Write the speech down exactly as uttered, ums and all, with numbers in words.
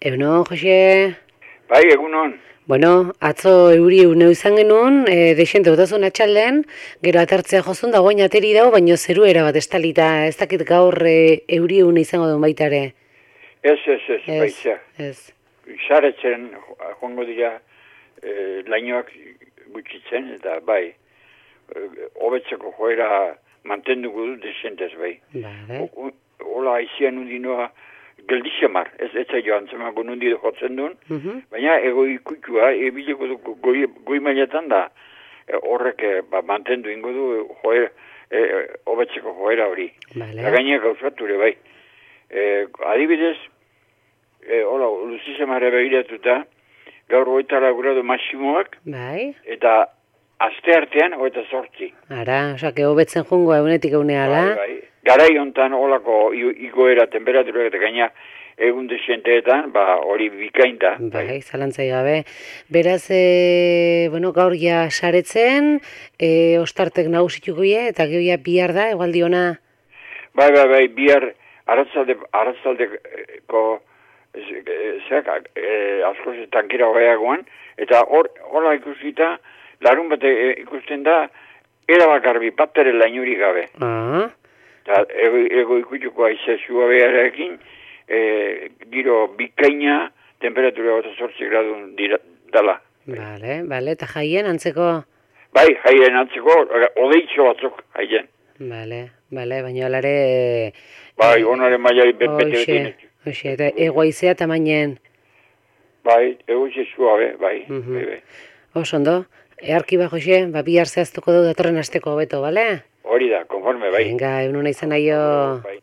Egunon, Jose? Bai, egunon. Bueno, atzo euri uneu izan genuen, e, deixente botazun atxalden, gero atertzea jozun da goin ateri dago, baino zeru erabat estalita, ez dakit gaur e, euri une izango duen baita ere. Ez, ez, ez, Ez, baitza. ez. Saretzen joango dira e, lainoak gutxitzen, eta bai, e, hobetzeko joera mantenduko du desentez bai. Vale. Hola, aizian undinoa geldixemar, ez ez zailo antzemako nundi jotzen duen, Uh-huh. baina ego ikukua, ebileko du goi, goi mailetan da, e, horrek e, ba, mantendu ingo du joera, e, hobetzeko joera hori. Vale. Eta gaineak gauzature bai. E, adibidez, e, hola, luzizemare begiratuta, gaur hogeita gradu maximoak, Bai. eta aste artean hogeita zortzi. Ara, osake, hobetzen jungo egunetik eguneala. Bai, bai. Garai hontan holako i- igoera temperaturak eta gaina egun desienteetan, ba, hori bikain da. Bai, zalantzai gabe. Beraz, e, bueno, gaur ja saretzen, e, ostartek nagusituko ie, eta gero ja bihar da, egualdi ona. Bai, bai, bai, bihar aratzalde, aratzaldeko zeak, e, askoz tankira hogeiagoan, eta hor, hola ikusita, larun bate e, ikusten da, erabakarbi bat ere lainuri gabe. Ah, Eta ego, ego ikutuko aize zua beharekin, e, giro bikaina, temperatura gota zortzi gradu dira, dala. bale, bale, eta jaien antzeko, Bai, jaien antzeko, odeitxo batzuk jaien. bale, bale, baina alare... Bai, onaren mailari bete Hoxe, bete. hoxe, eta egoaizea tamainen. Bai, ego zua be, bai, Mhm. bai, bai. Oso ondo, earki ba, Jose, ba, bihar zehaztuko du datorren asteko hobeto, bale? Hori da, konforme, bai. Venga, egun una izan naio. Bai.